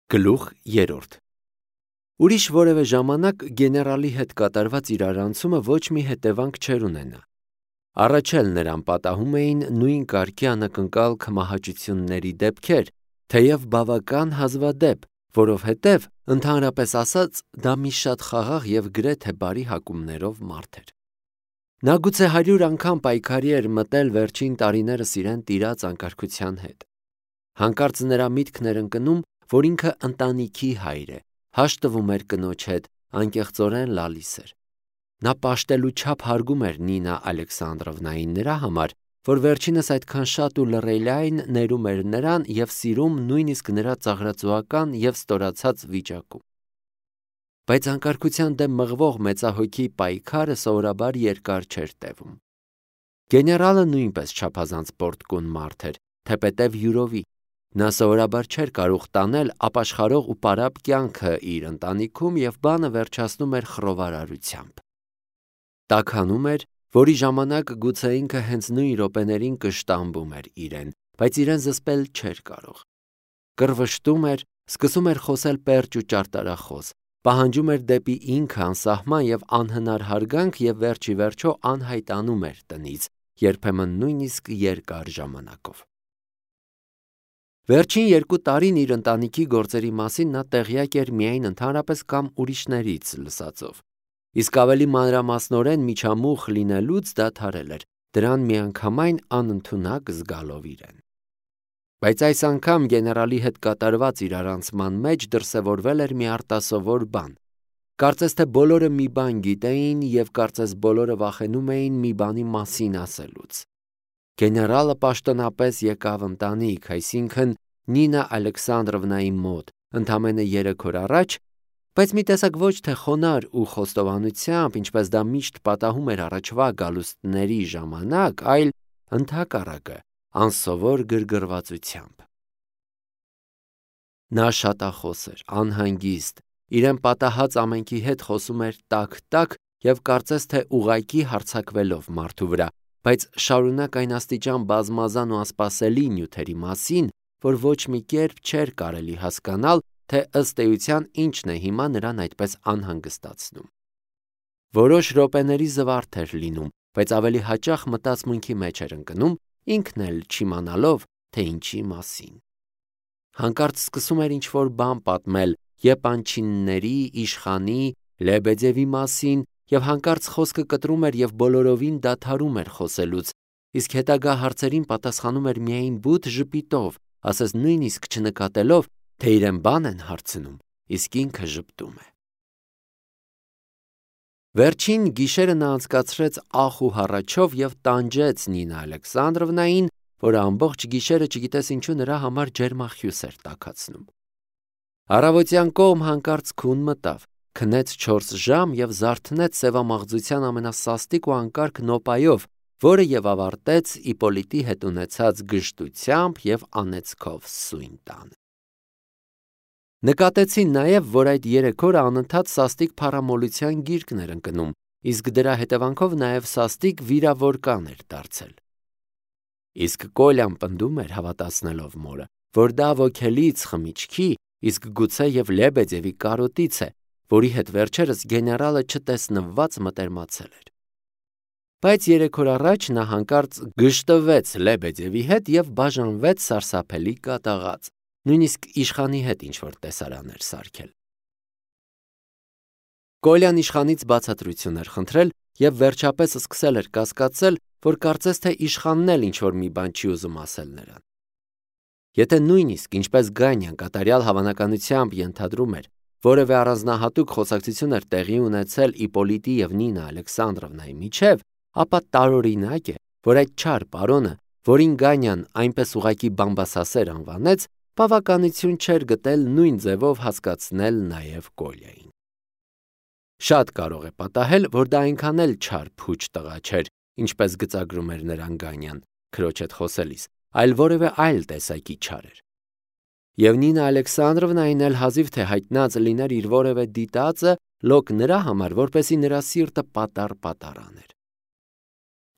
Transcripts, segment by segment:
Գլուխ 3 Ուրիշ որևէ ժամանակ գեներալի հետ կատարված իրարանցումը ոչ մի հետևանք չէր ունենա։ Առաջ էլ նրան պատահում էին նույն կարգի անակնկալ քմահաճությունների դեպքեր, թեև բավական հազվադեպ, որովհետև, ընդհանրապես ասած, դա մի շատ խաղաղ և գրեթե բարի հակումներով մարդ էր։ Նա գուցե 100 անգամ պայքարի էր մտել վերջին տարիներս իրեն տիրած անկարգության հետ։ Հանկարծ նրա միտքն էր ընկնում, որ ինքը ընտանիքի հայր է, հաշտվում էր կնոջ հետ, անկեղծորեն լալիս էր։ Նա պաշտելու չափ հարգում էր Նինա Ալեքսանդրովնային նրա համար, որ վերջինս այդքան շատ ու լռելիայն ներում էր նրան և սիրում նույնիսկ նրա ծաղրածուական և ստորացած վիճակում։ Բայց անկարգության դեմ մղվող մեծահոգի պայքարը սովորաբար երկար չէր տևում։ Գեներալը նույնպես չափազանց պոռթկուն մարդ էր, թեպետև յուրովի։ Նա սովորաբար չէր կարող տանել ապաշխարող ու պարապ կյանքը իր ընտանիքում և բանը վերջացնում էր խռովարարությամբ։ Տաքանում էր, որի ժամանակ գուցե ինքը հենց նույն րոպեներին կշտամբում էր իրեն, բայց իրեն զսպել չէր կարող։ Կռվշտում էր, սկսում էր խոսել պերճ ու ճարտարախոս, պահանջում էր դեպի ինքը անսահման և անհնար հարգանք և վերջիվերջո անհայտանում էր տնից, երբեմն նույնիսկ երկար ժամանակով։ Վերջին 2 տարին իր ընտանիքի գործերի մասին նա տեղյակ էր միայն ընդհանրապես կամ ուրիշներից լսածով, իսկ ավելի մանրամասնորեն միջամուխ լինելուց դադարել էր, դրան միանգամայն անընդունակ զգալով իրեն։ Բայց այս անգամ գեներալի հետ կատարված իրարանցման մեջ դրսևորվել էր մի արտասովոր բան։ Կարծես թե բոլորը մի բան գիտեին և կարծես բոլորը վախենում էին մի բանի մասին ասելուց։ Գեներալը պաշտոնապես եկավ ընտանիք, այսինքն Նինա Ալեքսանդրովնայի մոտ, ընդամենը 3 օր առաջ, բայց մի տեսակ ոչ թե խոնարհ ու խոստովանությամբ, ինչպես դա միշտ պատահում էր առաջվա գալուստների ժամանակ, այլ ընդհակառակը, անսովոր գրգռվածությամբ։ Նա շատախոս էր, անհանգիստ, իրեն պատահած ամենքի հետ խոսում էր տաք-տաք և կարծես թե ուղղակի հարձակվելով մարդու վրա, բայց շարունակ այն աստիճան բազմազան ու անսպասելի նյութերի մասին, որ ոչ մի կերպ չէր կարելի հասկանալ, թե ըստ էության ինչն է հիմա նրան այդպես անհանգստացնում։ Որոշ րոպեների զվարթ էր լինում, բայց ավելի հաճախ մտածմունքի մեջ էր ընկնում, ինքն էլ չիմանալով, թե ինչի մասին։ Հանկարծ սկսում էր ինչ-որ բան պատմել Եպանչինների, իշխանի, Լեբեդևի մասին, և հանկարծ խոսքը կտրում էր և բոլորովին դադարում էր խոսելուց, իսկ հետագա հարցերին պատասխանում էր միայն բութ ժպիտով, ասես նույնիսկ չնկատելով, թե իրեն բան են հարցնում, իսկ ինքը ժպտում է։ Վերջին գիշերը նա անցկացրեց ախ ու հառաչով և տանջեց Նինա Ալեքսանդրովնային, որը ամբողջ գիշերը չգիտես ինչու նրա համար ջերմախյուս էր տաքացնում։ Առավոտյան կողմ հանկարծ քուն մտավ, քնեց 4 ժամ և զարթնեց սևամաղձության ամենասաստիկ ու անկարգ նոպայով, որը և ավարտեց Իպոլիտի հետ ունեցած գժտությամբ և անեծքով սույն տանը։ Նկատեցին նաև, որ այդ 3 օրը անընդհատ սաստիկ փառամոլության գիրկն էր ընկնում, իսկ դրա հետևանքով նաև սաստիկ վիրավորկան էր դարձել։ Իսկ Կոլյան պնդում էր, հավատացնելով մորը, որ դա ոգելից խմիչքի, իսկ գուցե և Լեբեդևի կարոտից է, որի հետ վերջերս գեներալը չտեսնված մտերմացել էր։ Բայց 3 օր առաջ նա հանկարծ գժտվեց Լեբեդևի հետ և բաժանվեց սարսափելի կատաղած, նույնիսկ իշխանի հետ ինչ-որ տեսարան էր սարքել։ Կոլյան իշխանից բացատրություն էր խնդրել և վերջապես սկսել էր կասկածել, որ կարծես թե իշխանն էլ ինչ-որ մի բան չի ուզում ասել նրան։ Եթե նույնիսկ, ինչպես Գանյան կատարյալ հավանականությամբ ենթադրում էր, որևէ առանձնահատուկ խոսակցություն էր տեղի ունեցել Իպոլիտի և Նինա Ալեքսանդրովնայի միջև, ապա տարօրինակ է, որ այդ չար պարոնը, որին Գանյան այնպես ուղղակի բամբասասեր անվանեց, բավականություն չէր գտել նույն ձևով հասկացնել նաև Կոլյային։ Շատ կարող է պատահել, որ դա այնքան էլ չար փուչ տղա չէր, ինչպես գծագրում էր նրան Գանյան, քրոջ հետ խոսելիս, այլ որևէ այլ տեսակի չար էր։ Եվ Նինա Ալեքսանդրովնային էլ հազիվ թե հայտնած լիներ իր որևէ դիտածը լոկ նրա համար, որպեսզի նրա սիրտը պատառ աներ։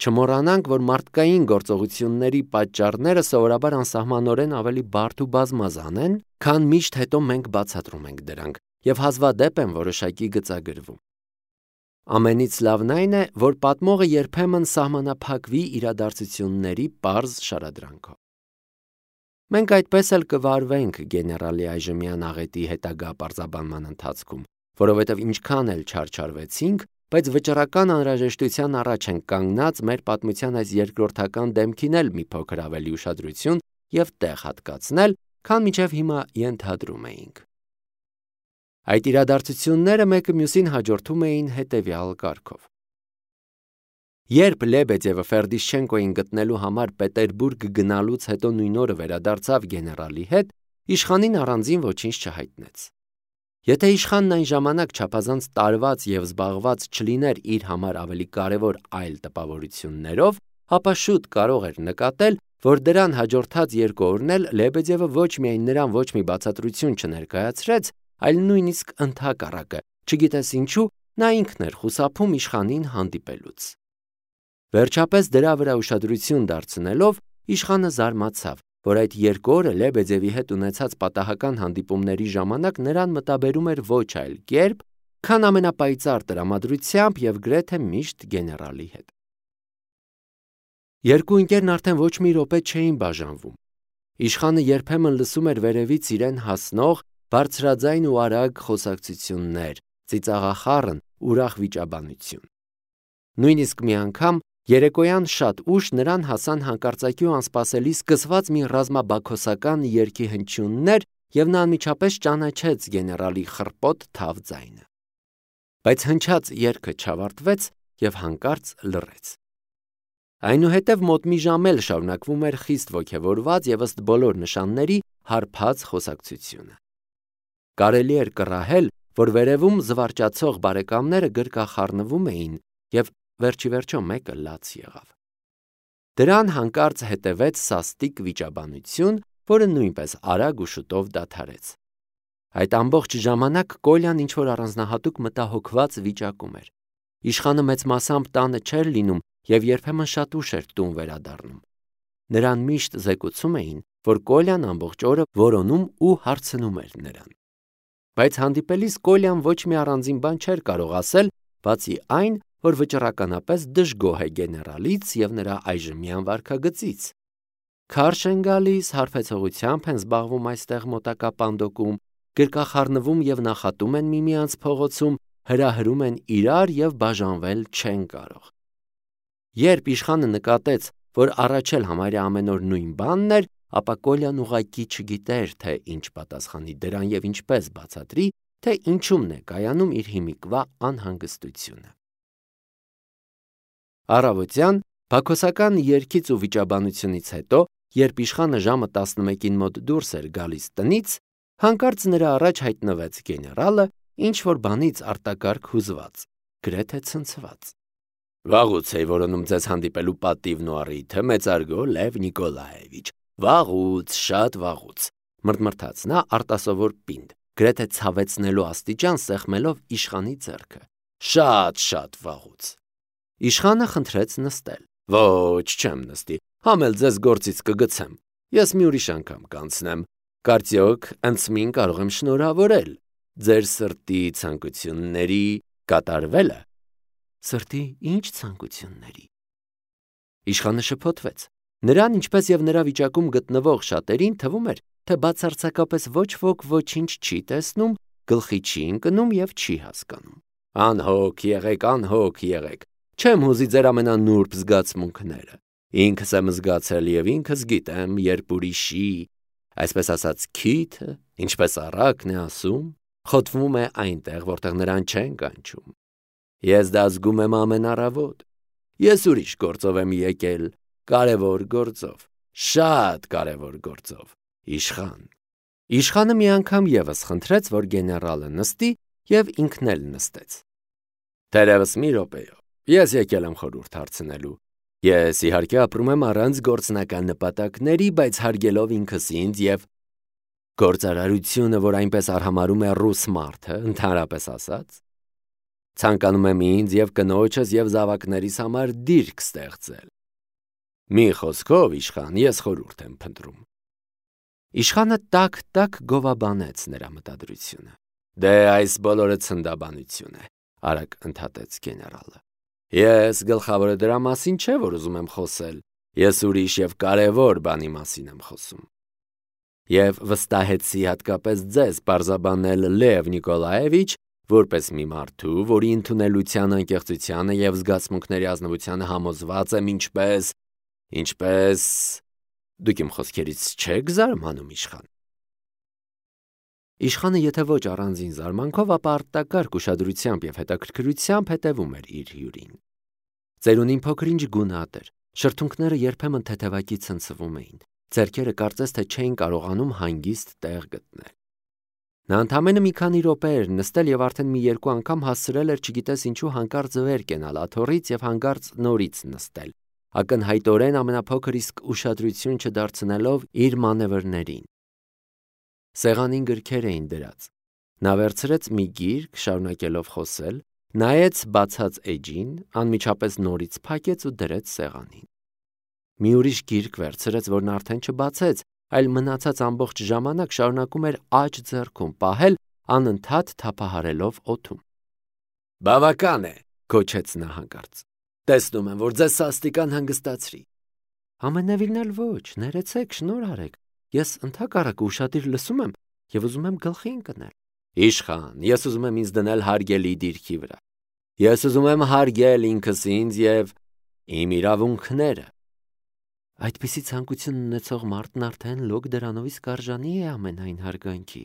Չմոռանանք, որ մարդկային գործողությունների պատճառները սովորաբար անսահմանորեն ավելի բարդ ու բազմազան են, քան միշտ հետո մենք բացատրում ենք դրանք, եւ հազվադեպ են որոշակի գծագրվում։ Ամենից լավն այն է, որ պատմողը երբեմն սահմանափակվի իրադարձությունների պարզ շարադրանքով։ Մենք այդպես էլ կվարվենք գեներալի այժմյան աղետի հետագա պարզաբանման ընթացքում, որովհետև ինչքան էլ չարչարվեցինք, բայց վճռական անհրաժեշտության առաջ ենք կանգնած մեր պատմության այս երկրորդական դեմքին էլ մի փոքր ավելի ուշադրություն եւ տեղ հատկացնել, քան մինչև հիմա ենթադրում էինք։ Այդ իրադարձությունները մեկը մյուսին հաջորդում էին հետևյալ կարգով։ Երբ Լեբեդևը Ֆերդիշչենկոին գտնելու համար Պետերբուրգ գնալուց հետո նույն օրը վերադարձավ գեներալի հետ, իշխանին առանձին ոչինչ չհայտնեց։ Եթե իշխանն այն ժամանակ չափազանց տարված եւ զբաղված չլիներ իր համար ավելի կարևոր այլ տպավորություններով, ապա շուտ կարող էր նկատել, որ դրան հաջորդած երկու օրն էլ Լեբեդևը ոչ միայն նրան ոչ մի բացատրություն չներկայացրեց, այլ նույնիսկ ընդհակառակը, չգիտես ինչու, նա ինքն էր խուսափում իշխանին հանդիպելուց։ Վերջապես դրա վրա ուշադրություն դարձնելով, իշխանը զարմացավ, որ այդ երկու օրը Լեբեդևի հետ ունեցած պատահական հանդիպումների ժամանակ նրան մտաբերում էր ոչ այլ կերպ, քան ամենապայծառ տրամադրությամբ եւ գրեթե միշտ գեներալի հետ։ Երկու ընկերն արդեն ոչ մի րոպե չէին բաժանվում։ Իշխանը երբեմն լսում էր վերևից իրեն հասնող բարձրաձայն ու արագ խոսակցություններ, ծիծաղախառն, ուրախ վիճաբանություն։ Նույնիսկ մի անգամ երեկոյան շատ ուշ նրան հասան հանկարծակի ու անսպասելի սկսված մի ռազմաբաքոսական երգի հնչյուններ եւ նա անմիջապես ճանաչեց գեներալի խռպոտ թավ ձայնը։ Բայց հնչած երգը չավարտվեց եւ հանկարծ լռեց։ Այնուհետև մոտ մի ժամ էլ շարունակվում էր խիստ ոգևորված եւ ըստ բոլոր նշանների հարբած խոսակցությունը։ Կարելի էր կռահել, որ վերևում զվարճացող բարեկամները գրկախառնվում էին եւ վերջիվերջո մեկը լաց եղավ։ Դրան հանկարծ հետևեց սաստիկ վիճաբանություն, որը նույնպես արագ ու շուտով դադարեց։ Այդ ամբողջ ժամանակ Կոլյան ինչ-որ առանձնահատուկ մտահոգված վիճակում էր։ Իշխանը մեծ մասամբ տանը չէր լինում եւ երբեմն շատ ուշ էր տուն վերադառնում։ Նրան միշտ զեկուցում էին, որ Կոլյան ամբողջ օրը որոնում ու հարցնում էր նրան։ Բայց հանդիպելիս Կոլյան ոչ մի առանձին բան չէր կարող ասել, բացի այն, որ վճռականապես դժգոհ է գեներալից եւ նրա այժմյան վարքագծից։ Քարշ են գալիս, հարբեցողությամբ են զբաղվում այստեղ մոտակա պանդոկում, գրկախառնվում եւ նախատում են միմյանց փողոցում, հրահրում են իրար եւ բաժանվել չեն կարող։ Երբ իշխանը նկատեց, որ առաջ էլ համարյա ամեն օր նույն բանն էր, ապա Կոլյան ուղղակի չգիտեր, թե ինչ պատասխանի դրան եւ ինչպես բացատրի, թե ինչումն է կայանում իր հիմիկվա անհանգստությունը։ Առավոտյան բաքոսական երգից ու վիճաբանությունից հետո, երբ իշխանը ժամը 11-ին մոտ դուրս էր գալիս տնից, հանկարծ նրա առաջ հայտնվեց գեներալը, ինչ որ բանից արտակարգ հուզված, գրեթե ցնցված։ Վաղուց էի որոնում ձեզ հանդիպելու պատիվն ու առիթը, մեծարգո Լև Նիկոլաևիչ, վաղուց, շատ վաղուց, մրթմրթաց նա արտասովոր պինդ, գրեթե ցավեցնելու աստիճան սեղմելով իշխանի ձեռքը, շատ վաղուց։ Իշխանը խնդրեց նստել։ Ոչ, չեմ նստի, համ էլ ձեզ գործից կգցեմ, ես մի ուրիշ անգամ կանցնեմ, կարծիոք ընծմին կարող եմ շնորհավորել, ձեր սրտի ցանկությունների կատարվելը։ Սրտի ինչ ցանկությունների։ Իշխանը շփոթվեց։ Նրան, ինչպես եւ նրա վիճակում գտնվող շատերին թվում էր, թե բացարձակապես ոչ ոք ոչինչ չի տեսնում, գլխի չի ընկնում եւ չի հասկանում։ Անհոգ եղեք, չեմ հուզի ձեր ամենանուրբ զգացմունքները։ Ինքս եմ զգացել եւ ինքս գիտեմ, երբ ուրիշի, այսպես ասած, քիթը, ինչպես առակն է ասում, խոթվում է այնտեղ, որտեղ նրան չեն կանչում։ Ես դա զգում եմ ամեն առավոտ։ Ես ուրիշ գործով եմ եկել, կարևոր գործով, շատ կարևոր գործով, իշխան։ Իշխանը մի անգամ եւս խնդրեց, որ գեներալը նստի եւ ինքն էլ նստեց։ Թերևս մի րոպեյով, ես եկել եմ խորհուրդ հարցնելու։ Ես իհարկե ապրում եմ առանց գործնական նպատակների, բայց հարգելով ինքս ինձ եւ գործարարությունը, որ այնպես արհամարում է ռուս մարդը, ընդհանրապես ասած։ Ցանկանում եմ ինձ եւ կնոջս եւ զավակներիս համար դիրք ստեղծել։ Մի խոսքով, իշխան, ես խորհուրդ եմ փնտրում։ Իշխանը տակ գովաբանեց նրա մտադրությունը։ Դե այս բոլորը ցնդաբանություն է, արագ ընդհատեց գեներալը։ Ես գլխավորը դրա մասին չէ, որ ուզում եմ խոսել։ Ես ուրիշ եւ կարևոր բանի մասին եմ խոսում։ Եվ վստահեցի հատկապես ձեզ պարզաբանել Լև Նիկոլաևիչ, որպես մի մարդու, որի ընդունելության, անկեղծությանը եւ զգացմունքների ազնվությանը համոզված եմ, ինչպես դուք իմ խոսքերից չեք զարմանում, իշխան։ Իշխանը եթե ոչ առանձին զարմանքով, ապա արտակարգ ուշադրությամբ եւ հետաքրքրությամբ հետևում էր իր հյուրին։ Ծերունին փոքր-ինչ գունատ էր, շրթունքները երբեմն թեթևակի ցնցվում էին, ձեռքերը կարծես թե չէին կարողանում հանգիստ տեղ գտնել։ Նա ընդամենը մի քանի րոպե էր նստել եւ արդեն մի երկու անգամ հասցրել էր չգիտես ինչու հանկարծ վեր կենալ աթոռից եւ հանկարծ նորից նստել, ակնհայտորեն ամենափոքր իսկ ուշադրություն չդարձնելով իր մանևրներին։ Սեղանին գրքեր էին դրած։ Նա վերցրեց մի գիրք, շարունակելով խոսել, նայեց բացած էջին, անմիջապես նորից փակեց ու դրեց սեղանին։ Մի ուրիշ գիրք վերցրեց, որն արդեն չբացեց, այլ մնացած ամբողջ ժամանակ շարունակում էր աջ ձեռքում պահել, անընդհատ թափահարելով օդում։ Բավական է, գոչեց նա հանկարծ։ Տեսնում եմ, որ ձեզ սաստիկան հանգստացրի։ Ամենևին էլ ոչ, ներեցեք, շնորհ արեք։ Ես ընդհակառակը ուշադիր լսում եմ եւ ուզում եմ գլխի ընկնել։ Իշխան, ես ուզում եմ ինձ դնել հարգելի դիրքի վրա։ Ես ուզում եմ հարգել ինքս ինձ եւ իմ իրավունքները։ Այդպիսի ցանկություն ունեցող մարդն արդեն լոկ դրանովից կարժանի է ամենայն հարգանքի։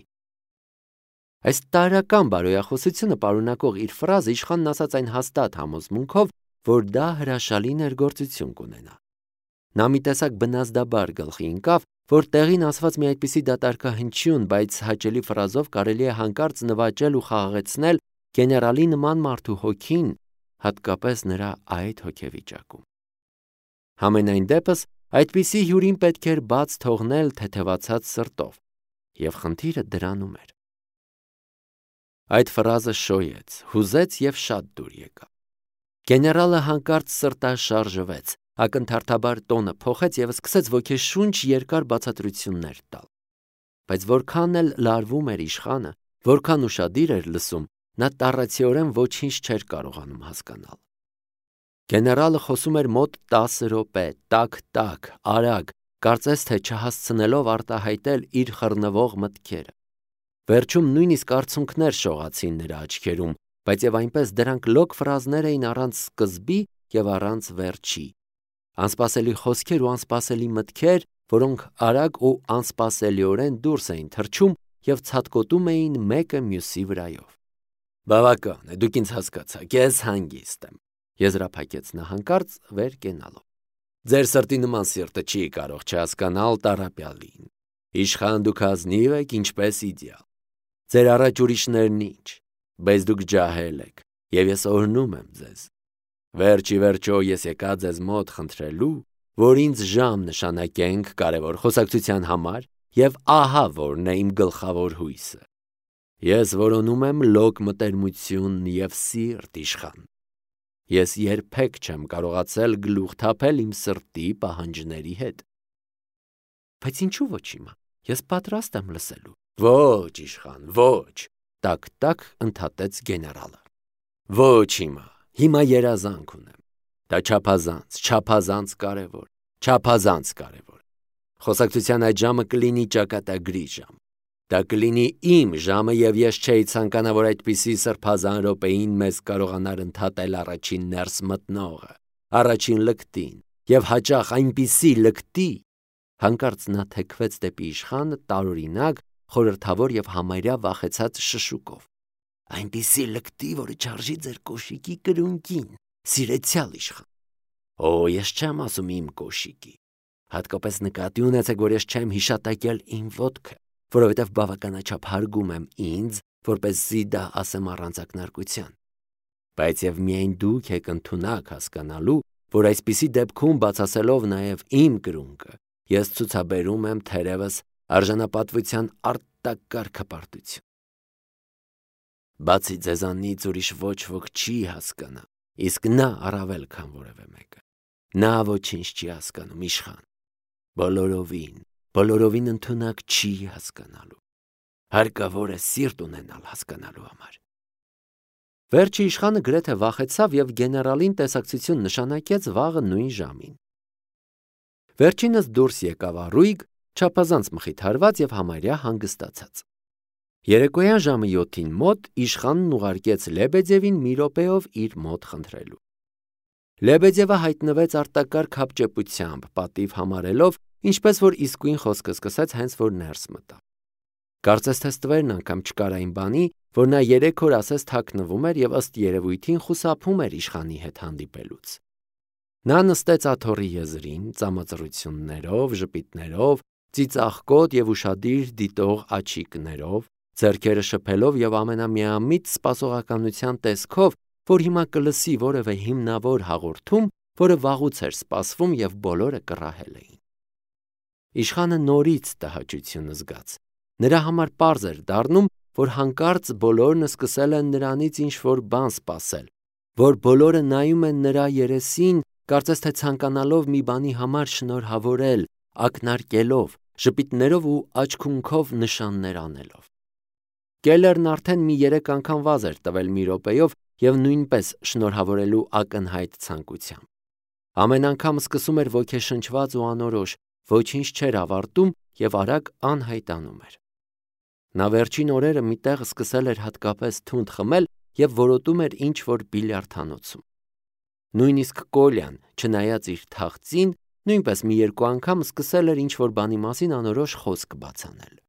Այս տարրական բարոյախոսությունը պարունակող իր ֆրազը իշխանն ասաց այն հաստատ համոզմունքով, որ դա հրաշալի ներգործություն կունենա։ Նա մի տեսակ բնազդաբար գլխի ընկավ, որ տեղին ասված մի այդպիսի դատարկահնչյուն, բայց հաճելի ֆրազով կարելի է հանկարծ նվաճել ու խաղաղեցնել գեներալի նման մարդու հոգին, հատկապես նրա այդ հոգեվիճակում։ Համենայն դեպս այդպիսի հյուրին պետք էր բաց թողնել թեթևացած սրտով, եւ խնդիրը դրանում էր։ Այդ ֆրազը շոյեց, հուզեց եւ շատ դուր եկավ։ Գեներալը հանկարծ սրտաշարժվեց, ակնթարթաբար տոնը փոխեց եւ սկսեց ոգեշունչ երկար բացատրություններ տալ։ Բայց որքան էլ լարվում էր իշխանը, որքան ուշադիր էր լսում, նա տառացիորեն ոչինչ չէր կարողանում հասկանալ։ Գեներալը խոսում էր մոտ 10 րոպե, տակ, արագ, կարծես թե չհասցնելով արտահայտել իր խռնվող մտքերը։ Վերջում նույնիսկ արցունքներ շողացին նրա աչքերում, բայց եւ այնպես դրանք լոկ ֆրազներ էին առանց սկզբի եւ առանց վերջի։ Անսպասելի խոսքեր ու անսպասելի մտքեր, որոնք արագ ու անսպասելիորեն դուրս էին թռչում եւ ցատկոտում էին մեկը մյուսի վրայով։ Բավական է, դուք ինձ հասկացաք, ես հանգիստ եմ, եզրափակեց նա հանկարծ վեր կենալով։ Ձեր սրտի նման սիրտը չի կարող չհասկանալ տառապյալին։ Իշխան դուք ազնիվ եք, ինչպես իդեալ։ Ձեր առաջ ուրիշներն ինչ, բայց դուք ջահել եք, եւ ես օրհնում եմ ձեզ։ Վերջի վերջո ես եկա ձեզ մոտ խնդրելու, որ ինձ ժամ նշանակենք կարևոր խոսակցության համար, եւ ահա որն է իմ գլխավոր հույսը։ Ես որոնում եմ լոկ մտերմություն եւ սիրտ, իշխան։ Ես երբեք չեմ կարողացել գլուխ թափել իմ սրտի պահանջների հետ։ Բայց ինչու ոչ հիմա։ Ես պատրաստ եմ լսելու։ Ոչ, իշխան, ոչ, տակ ընդհատեց գեներալը։ Ոչ հիմա, հիմա երազանք ունեմ։ Դա չափազանց կարևոր։ Խոսակցության այդ ժամը կլինի ճակատագրի ժամ։ Դա կլինի իմ ժամը եւ ես չէի ցանկանա, որ այդպիսի սրբազան րոպեին մեզ կարողանար ընդհատել առաջին ներս մտնողը, առաջին լկտին եւ հաճախ այնպիսի լկտի։ Հանկարծ նա թեքվեց դեպի իշխանը տարօրինակ, խորհրդավոր եւ համարյա վախեցած շշուկով։ Այնպիսի լկտի, որը չարժի ձեր կոշիկի կրունկին, սիրեցյալ իշխան։ Օ, ես չեմ ասում իմ կոշիկի։ Հատկապես նկատի ունեցեք, որ ես չեմ հիշատակել իմ ոտքը, որովհետև բավականաչափ հարգում եմ ինձ, որպեսզի դա ասեմ առանց ակնարկության։ Բայց եւ միայն դուք եք ընդունակ հասկանալու, որ այսպիսի դեպքում բացասելով նաեւ իմ կրունկը, ես ցուցաբերում եմ թերևս արժանապատվության արտակարգ հպարտություն։ Բացի ձեզանից ուրիշ ոչ ոք չի հասկանա, իսկ նա առավել քան որևէ մեկը։ Նա ոչինչ չի հասկանում, իշխան։ Բոլորովին ընդունակ չի հասկանալու։ Հարկավոր է սիրտ ունենալ հասկանալու համար։ Վերջի իշխանը գրեթե վախեցավ և գեներալին տեսակցություն նշանակեց վաղը նույն ժամին։ Վերջինս դուրս եկավ առույգ, չափազանց մխիթարված և համարյա հանգստացած։ Երեկոյան ժամը 7-ին մոտ իշխանն ուղարկեց Լեբեդևին մի րոպեով իր մոտ խնդրելու։ Լեբեդևը հայտնվեց արտակարգ հապճեպությամբ, պատիվ համարելով, ինչպես որ իսկույն խոսքը սկսեց հենց որ ներս մտավ։ Կարծես թե ստվերն անգամ չկար այն բանի, որ նա 3 օր ասես թաքնվում էր և ըստ երևույթին խուսափում էր իշխանի հետ հանդիպելուց։ Նա նստեց աթոռի եզրին, ծամածռություններով, ժպիտներով, ծիծաղկոտ և ուշադիր դիտող աչիկներով, ձեռքերը շփելով և ամենամիամիտ սպասողականության տեսքով, որ հիմա կլսի որևէ հիմնավոր հաղորդում, որը վաղուց էր սպասվում և բոլորը կռահել էին։ Իշխանը նորից տհաճություն զգաց։ Նրա համար պարզ էր դառնում, որ հանկարծ բոլորն սկսել են նրանից ինչ-որ բան սպասել, որ բոլորը նայում են նրա երեսին, կարծես թե ցանկանալով մի բանի համար շնորհավորել, ակնարկելով, ժպիտներով ու աչքունքով նշաններ անելով։ Կելլերն արդեն մի 3 անգամ վազ էր տվել մի րոպեով և նույնպես շնորհավորելու ակնհայտ ցանկությամբ։ Ամեն անգամ սկսում էր ոգեշնչված ու անորոշ, ոչինչ չէր ավարտում և արագ անհայտանում էր։ Նա վերջին օրերը մի տեղ սկսել էր հատկապես թունդ խմել և որոտում էր ինչ-որ բիլիարդանոցում։ Նույնիսկ Կոլյան, չնայած իր թախծին, նույնպես մի 2 անգամ սկսել էր ինչ-որ բանի մասին անորոշ խոսք բաց անել։